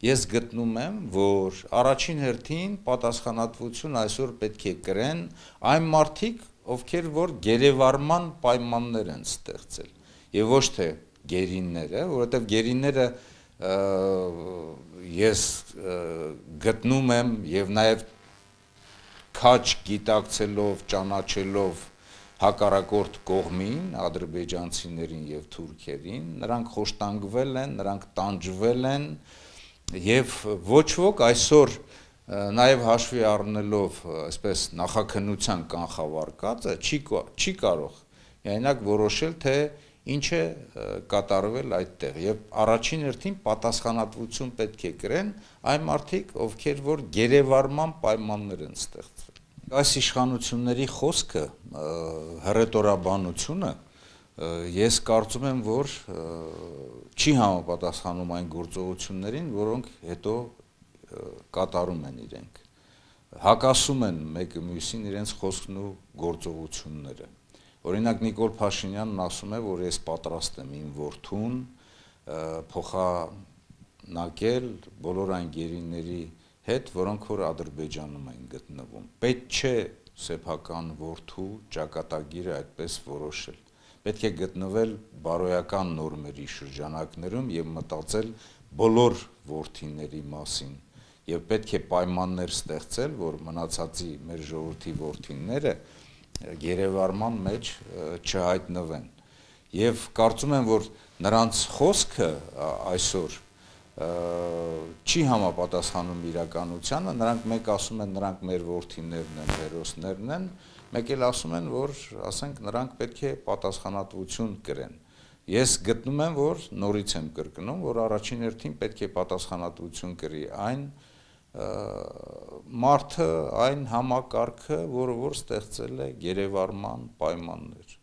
ես գտնում եմ, որ առաջին հերթին պատասխանատվություն այսօր պետք է կրեն այն մարդիկ, ովքեր որ գերեվարման պայմաններ են ստեղծել, եւ ոչ թե գերինները, որովհետեւ գերինները ես գտնում եմ եւ նաեւ քաջ գիտակցելով, ճանաչելով հակառակորդ կողմին, ադրբեջանցիներին եւ թուրքերին, նրանք խոշտանգվել են, նրանք տանջվել են եւ ոչ ոք այսօր նաեւ հաշվի առնելով այսպես նախաքննության կանխավարկածը չի կարող միայնակ որոշել թե ինչ է կատարվել այդտեղ եւ առաջին հերթին պատասխանատվություն պետք է կրեն այն մարդիկ, ովքեր որ գերեվարման պայմաններ են ստեղծվել։ Այս իշխանությունների խոսքը, հռետորաբանությունը ես կարծում եմ, որ չի համապատասխանում այն գործողություններին, որոնք հետո կատարում են իրենք, հակասում են մեկը մյուսին իրենց խոսքն ու գործողությունները։ Օրինակ Նիկոլ Փաշինյանն ասում է, որ ես պատրաստ եմ իմ որդուն փոխանակել բոլոր այն գերիների հետ, որոնք որ Ադրբեջանում են գտնվում։ Պետք չէ սեփական որդու ճակատագիրը այդպես որոշել։ Պետք է գտնվել բարոյական նորմերի շրջանակներում եւ մտածել բոլոր որդիների մասին եւ պետք է պայմաններ ստեղծել, որ մնացածի մեր ժողովրդի որդիները գերեվարման մեջ չհայտնվեն։ Եվ կարծում եմ, որ նրանց խոսքը այսօր չի համապատասխանում իրականությանը, նրանք մեկ ասում են, նրանք մեր որդիներն են, հերոսներն են, մեկ էլ ասում են, որ ասենք նրանք պետք է պատասխանատվություն կրեն։ Ես գտնում եմ, որ նորից եմ կրկնում, որ առաջին հերթին պետք է պատասխանատվություն կրի այն մարդը, այն համակարգը, որը որ ստեղծել է գերեվարման պայմաններ։